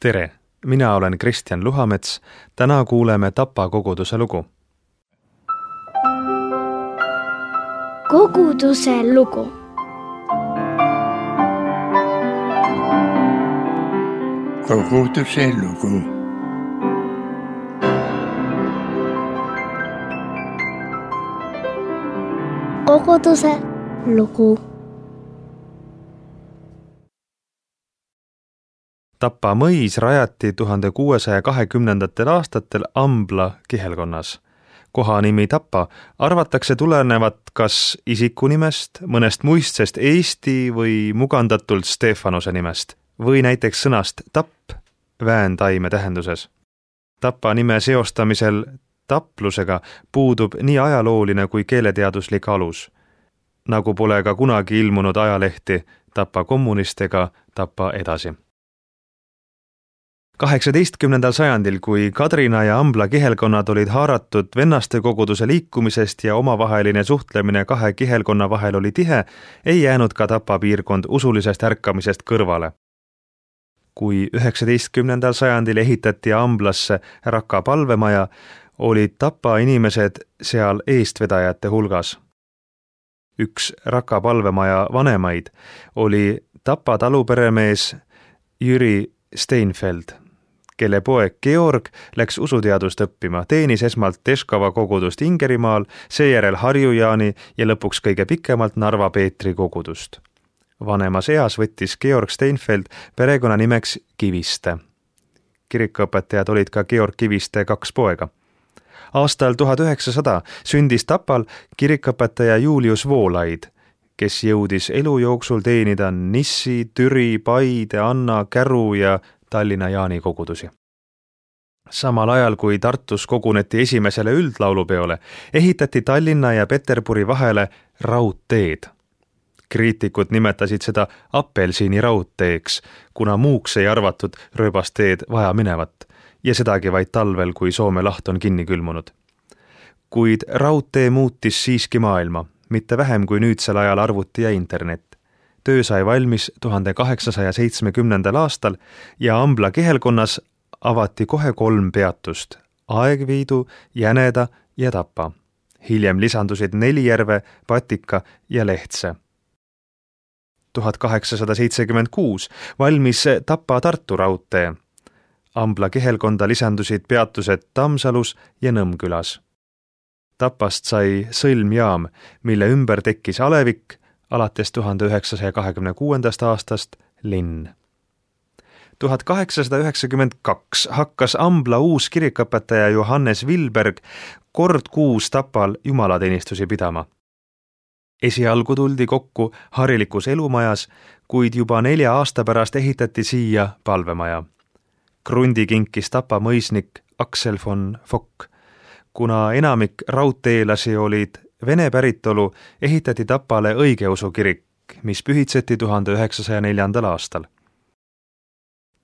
Tere, mina olen Kristjan Luhamets. Täna kuuleme Tapa koguduse lugu. Koguduse lugu. Koguduse lugu. Koguduse lugu. Tapa mõis rajati 1620. aastatel Ambla kihelkonnas. Kohanimi Tapa arvatakse tulenevat kas isikunimest, mõnest muistsest Eesti või mugandatult Stefanuse nimest või näiteks sõnast tapp vääntaime tähenduses. Tapa nime seostamisel taplusega puudub nii ajalooline kui keeleteaduslik alus, nagu pole ka kunagi ilmunud ajalehti Tapa kommunist ega Tapa edasi. 18. sajandil, kui Kadrina ja Ambla kihelkonnad olid haaratud vennaste koguduse liikumisest ja omavaheline suhtlemine kahe kihelkonna vahel oli tihe, ei jäänud ka Tapa piirkond usulisest ärkamisest kõrvale. Kui 19. sajandil ehitati Amblasse Raka palvemaja, olid Tapa inimesed seal eestvedajate hulgas. Üks Raka palvemaja vanemaid oli Tapa taluperemees Jüri Steinfeld, kelle poeg Georg läks usuteadust õppima, teenis esmalt Teskava kogudust Ingerimaal, seejärel Harjujaani ja lõpuks kõige pikemalt Narva Peetri kogudust. Vanemas eas võttis Georg Steinfeld perekonna nimeks Kiviste. Kirikuõpetajad olid ka Georg Kiviste 2 poega. Aastal 1900 sündis Tapal kirikuõpetaja Julius Voolaid, kes jõudis elu jooksul teenida Nissi, Türi, Paide, Anna, Käru ja Tallinna Jaani kogudusi. Samal ajal, kui Tartus koguneti esimesele üldlaulupeole, ehitati Tallinna ja Peterburi vahele raudteed. Kriitikud nimetasid seda apelsini raudteeks, kuna muuks ei arvatud rööbasteed vaja minevat ja sedagi vaid talvel, kui Soome laht on kinni külmunud. Kuid raudtee muutis siiski maailma, mitte vähem kui nüüdsel ajal arvuti ja internet. Töö sai valmis 1870. aastal ja Ambla kihelkonnas avati kohe 3 peatust: Aegviidu, Jäneda ja Tapa. Hiljem lisandusid Nelijärve, Patika ja Lehtse. 1876 valmis Tapa-Tartu raudtee. Ambla kihelkonda lisandusid peatused Tammsalus ja Nõmmkülas. Tapast sai sõlmjaam, mille ümber tekkis alevik, alates 1926. aastast linn. 1892 hakkas Ambla uus kirikuõpetaja Johannes Vilberg kord kuus Tapal jumalateenistusi pidama. Esialgu tuldi kokku harilikus elumajas, kuid juba 4 aasta pärast ehitati siia palvemaja. Krundi kinkis Tapa mõisnik Aksel von Fock. Kuna enamik raudteelasi olid Vene päritolu, ehitati Tapale õigeusu kirik, mis pühitseti 1904. aastal.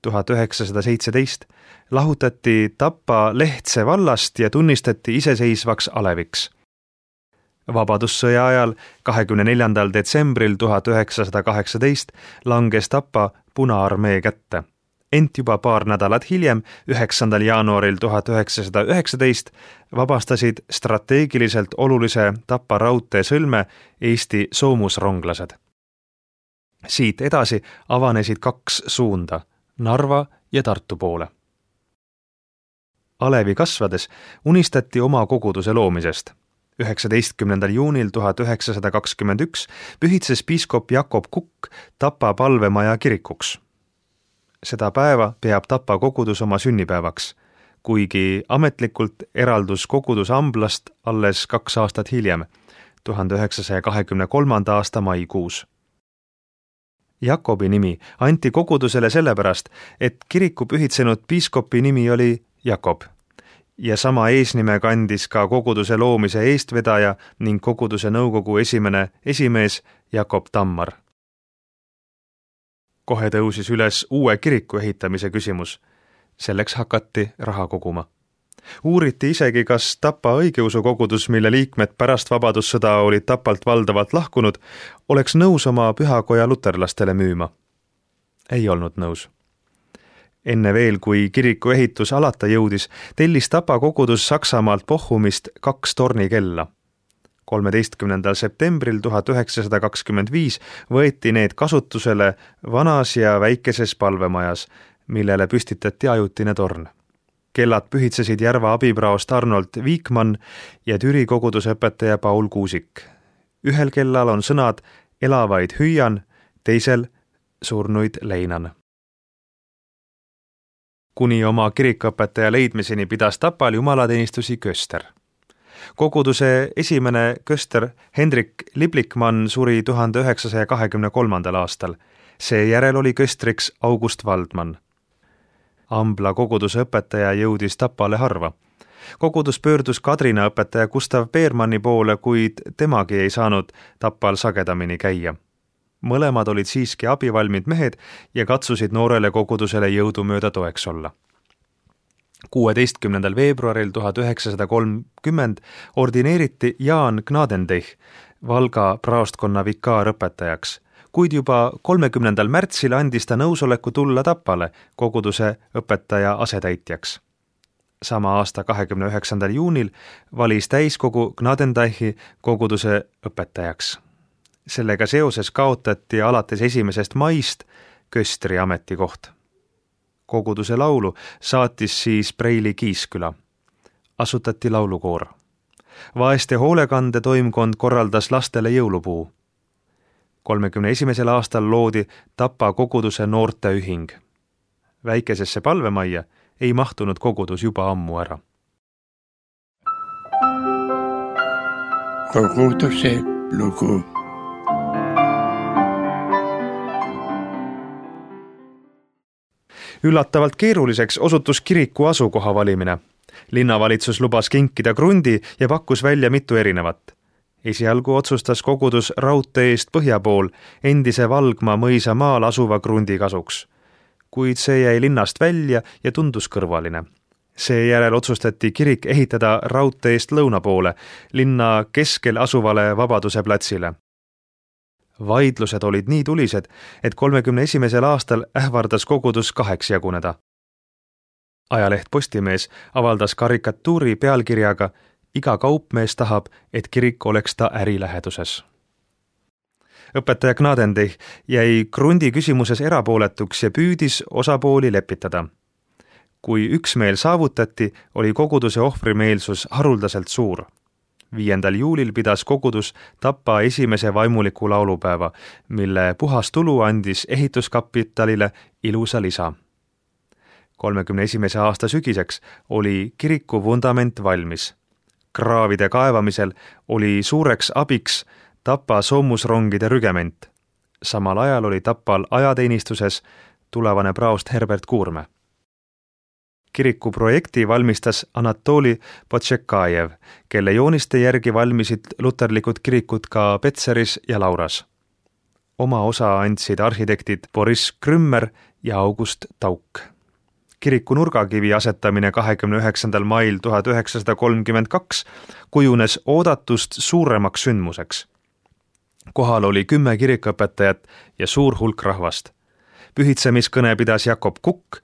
1917 lahutati Tapa Lehtse vallast ja tunnistati iseseisvaks aleviks. Vabadussõja ajal 24. detsembril 1918 langes Tapa Punaarmee kätte. Ent juba paar nädalat hiljem, 9. jaanuaril 1919, vabastasid strateegiliselt olulise Tapa raudtee sõlme Eesti soomusronglased. Siit edasi avanesid 2 suunda, Narva ja Tartu poole. Alevi kasvades unistati oma koguduse loomisest. 19. juunil 1921 pühitses piiskop Jakob Kukk Tapa palvemaja kirikuks. Seda päeva peab Tapa kogudus oma sünnipäevaks, kuigi ametlikult eraldus kogudus Amblast alles 2 aastat hiljem, 1923. aasta maikuus. Jakobi nimi anti kogudusele sellepärast, et kiriku pühitsenud piiskopi nimi oli Jakob ja sama eesnime kandis ka koguduse loomise eestvedaja ning koguduse nõukogu esimene esimees Jakob Tammar. Kohe tõusis üles uue kiriku ehitamise küsimus. Selleks hakati raha koguma. Uuriti isegi, kas Tapa õigeusu kogudus, mille liikmed pärast vabadussõda olid Tapalt valdavalt lahkunud, oleks nõus oma pühakoja luterlastele müüma. Ei olnud nõus. Enne veel, kui kiriku ehitus alata jõudis, tellis Tapa kogudus Saksamaalt Bochumist 2 tornikella. 13. septembril 1925 võeti need kasutusele vanas ja väikeses palvemajas, millele püstitati ajutine torn. Kellad pühitsesid Järva abipraost Arnold Viikmann ja Türi kogudusõpetaja Paul Kuusik. Ühel kellal on sõnad elavaid hüüan, teisel surnuid leinan. Kuni oma kirikuõpetaja leidmiseni pidas Tapal jumalateenistusi köster. Koguduse esimene köster Hendrik Liblikmann suri 1923. aastal. Seejärel oli köstriks August Waldmann. Ambla koguduse õpetaja jõudis Tapale harva. Kogudus pöördus Kadrina õpetaja Gustav Beermanni poole, kuid temagi ei saanud Tapal sagedamini käia. Mõlemad olid siiski abivalmid mehed ja katsusid noorele kogudusele jõudumööda toeks olla. 16. veebruaril 1930 ordineeriti Jaan Gnadendeich Valga praostkonna vikaarõpetajaks, kuid juba 30. märtsil andis ta nõusoleku tulla Tapale koguduse õpetaja asetäitjaks. Sama aasta 29. juunil valis täiskogu Gnadendeichi koguduse õpetajaks. Sellega seoses kaotati alates 1. maist köstri ametikoht. Koguduse laulu saatis siis Preili Kiisküla. Asutati laulukoor. Vaeste hoolekande toimkond korraldas lastele jõulupuu. 31. aastal loodi Tapa koguduse noorteühing. Väikesesse palvemajja ei mahtunud kogudus juba ammu ära. Koguduse lugu. Üllatavalt keeruliseks osutus kiriku asukoha valimine. Linnavalitsus lubas kinkida krundi ja pakkus välja mitu erinevat. Esialgu otsustas kogudus raudtee eest põhja pool endise Valgma mõisa maal asuva krundi kasuks. Kuid see jäi linnast välja ja tundus kõrvaline. Seejärel otsustati kirik ehitada raudtee eest lõuna poole, linna keskel asuvale Vabaduse platsile. Vaidlused olid nii tulised, et 31. aastal ähvardas kogudus 2 jaguneda. Ajaleht Postimees avaldas karikatuuri pealkirjaga "Iga kaupmees tahab, et kirik oleks ta äriläheduses". Õpetaja Gnadendeich jäi krundi küsimuses erapooletuks ja püüdis osapooli lepitada. Kui üksmeel saavutati, oli koguduse ohvrimeelsus haruldaselt suur. 5. juulil pidas kogudus Tapa esimese vaimuliku laulupäeva, mille puhas tulu andis ehituskapitalile ilusa lisa. 31. aasta sügiseks oli kiriku vundament valmis. Kraavide kaevamisel oli suureks abiks Tapa soomusrongide rügement. Samal ajal oli Tapal ajateenistuses tulevane praost Herbert Kuurme. Kiriku projekti valmistas Anatoli Potšekajev, kelle jooniste järgi valmisid luterlikud kirikud ka Petseris ja Lauras. Oma osa andsid arhitektid Boris Krümmer ja August Tauk. Kiriku nurgakivi asetamine 29. mail 1932 kujunes oodatust suuremaks sündmuseks. Kohal oli 10 kirikuõpetajat ja suur hulk rahvast. Pühitsemiskõne pidas Jakob Kukk,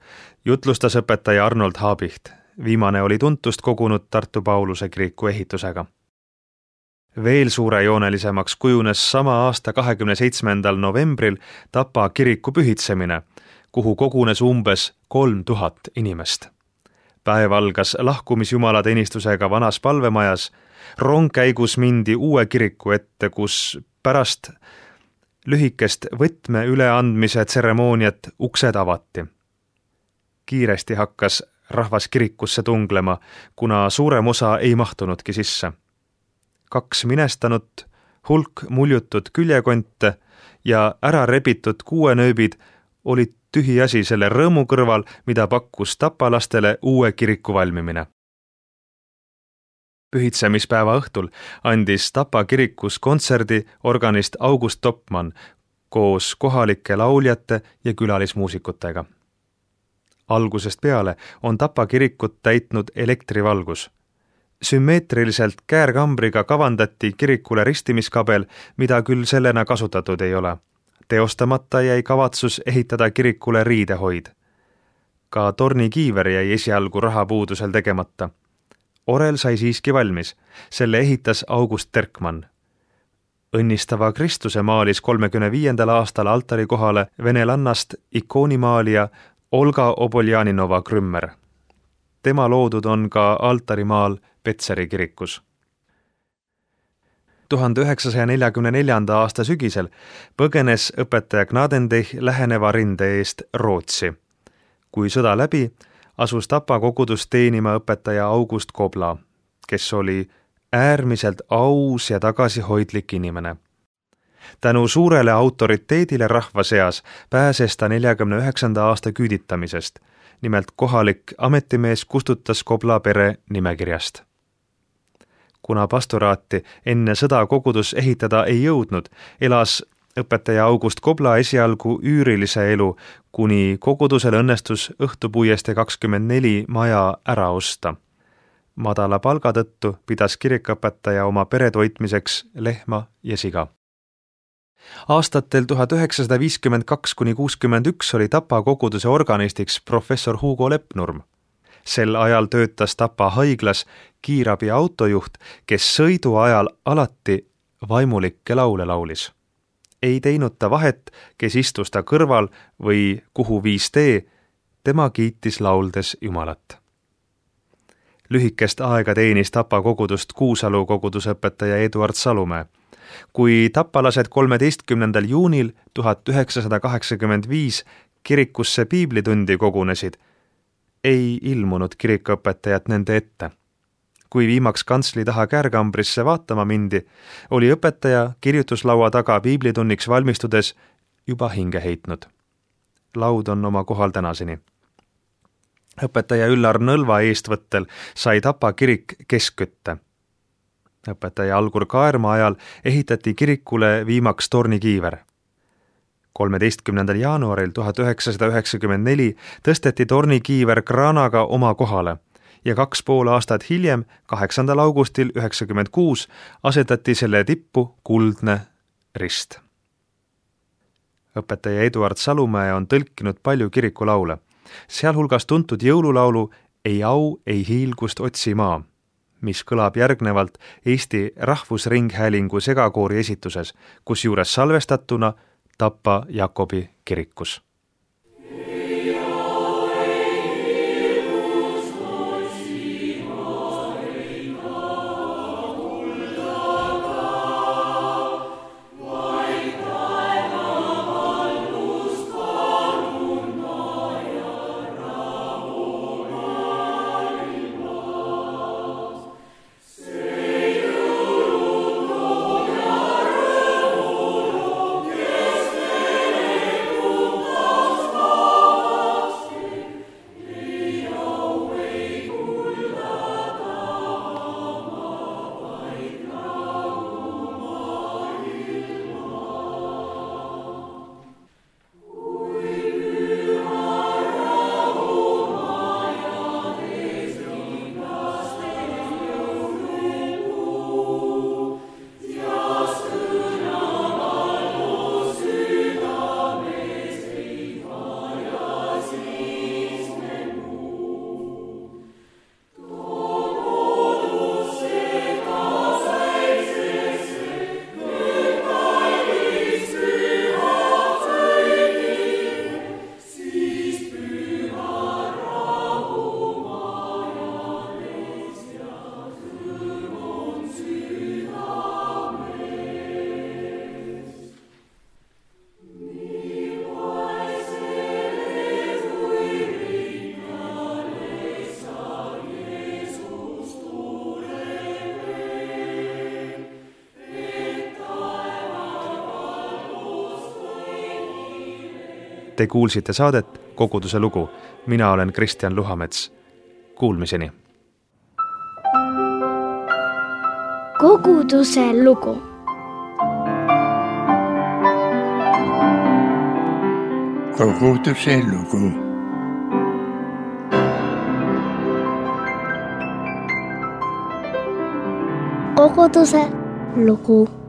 jutlustas õpetaja Arnold Haabicht. Viimane oli tuntust kogunud Tartu Pauluse kiriku ehitusega. Veel suurejoonelisemaks kujunes sama aasta 27. novembril Tapa kiriku pühitsemine, kuhu kogunes umbes 3000 inimest. Päev algas lahkumisjumalateenistusega vanas palvemajas, rongkäigus mindi uue kiriku ette, kus pärast lühikest võtme üleandmise tseremooniat uksed avati. Kiiresti hakkas rahvas kirikusse tunglema, kuna suurem osa ei mahtunudki sisse. 2 minestanut, hulk muljutud küljekonte ja ära rebitud kuuenööbid olid tühiasi selle rõõmu kõrval, mida pakkus tapalastele uue kiriku valmimine. Pühitsemispäeva õhtul andis Tapa kirikus kontserdi organist August Topmann koos kohalike lauljate ja külalismuusikutega. Algusest peale on Tapa kirikut täitnud elektrivalgus. Sümmeetriliselt käärkambriga kavandati kirikule ristimiskabel, mida küll sellena kasutatud ei ole. Teostamata jäi kavatsus ehitada kirikule riidehoid. Ka tornikiiver jäi esialgu rahapuudusel tegemata. Orel sai siiski valmis. Selle ehitas August Terkmann. Õnnistava Kristuse maalis 35. aastal altari kohale venelannast ikoonimaalija Olga Oboljaninova Krümmer. Tema loodud on ka altarimaal Petseri kirikus. 1944. aasta sügisel põgenes õpetaja Gnadendeich läheneva rinde eest Rootsi. Kui sõda läbi, asus Tapa kogudus teenima õpetaja August Kobla, kes oli äärmiselt aus ja tagasihoidlik inimene. Tänu suurele autoriteedile rahva seas pääses ta 49. aasta küüditamisest. Nimelt kohalik ametimees kustutas Kobla pere nimekirjast. Kuna pastoraati enne sõda kogudus ehitada ei jõudnud, elas õpetaja August Kobla esialgu üürilise elu, kuni kogudusel õnnestus Õhtupuiestee 24 maja ära osta. Madala palga tõttu pidas kirikuõpetaja oma pere toitmiseks lehma ja siga. Aastatel 1952–61 oli Tapa koguduse organistiks professor Hugo Lepnurm. Sel ajal töötas Tapa haiglas kiirabi autojuht, kes sõidu ajal alati vaimulikke laule laulis. Ei teinud ta vahet, kes istus ta kõrval või kuhu viis tee, tema kiitis lauldes Jumalat. Lühikest aega teenis Tapa kogudust Kuusalu kogudusõpetaja Eduard Salumäe. Kui tapalased 13. juunil 1985 kirikusse piiblitundi kogunesid, ei ilmunud kirikuõpetajat nende ette. Kui viimaks kantsli taha käärkambrisse vaatama mindi, oli õpetaja kirjutuslaua taga piiblitunniks valmistudes juba hinge heitnud. Laud on oma kohal tänaseni. Õpetaja Üllar Nõlva eestvõttel sai Tapa kirik keskkütte. Õpetaja Algur Kaerma ajal ehitati kirikule viimaks tornikiiver. 13. jaanuaril 1994 tõsteti tornikiiver kraanaga oma kohale ja 2,5 aastat hiljem, 8. augustil 1996, asetati selle tippu kuldne rist. Õpetaja Eduard Salumäe on tõlkinud palju kirikulaule, sealhulgas tuntud jõululaulu Ei au, ei hiilgust otsi maa, mis kõlab järgnevalt Eesti Rahvusringhäälingu segakoori esituses, kusjuures salvestatuna Tapa Jakobi kirikus. Te kuulsite saadet Koguduse lugu. Mina olen Kristjan Luhamets. Kuulmiseni. Koguduse lugu. Koguduse lugu. Koguduse lugu.